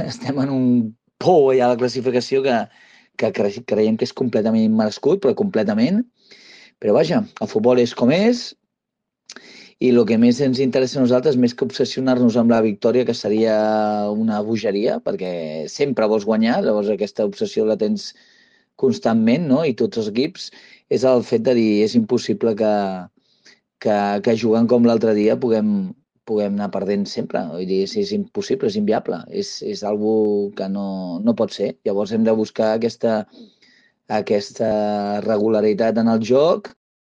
estem en un pou allà a la classificació que creiem que és completament immerescut, però completament. Però vaja, el futbol és com és, i el que més ens interessa a nosaltres, més que obsessionar-nos amb la victòria, que seria una bogeria, perquè sempre vols guanyar, llavors aquesta obsessió la tens constantment, no? I tots els equips, és el fet de dir, és impossible que jugant com l'altre dia puguem anar perdent sempre. Vull dir, és impossible, és inviable, és algo que no pot ser. Llavors hem de buscar aquesta regularitat en el joc,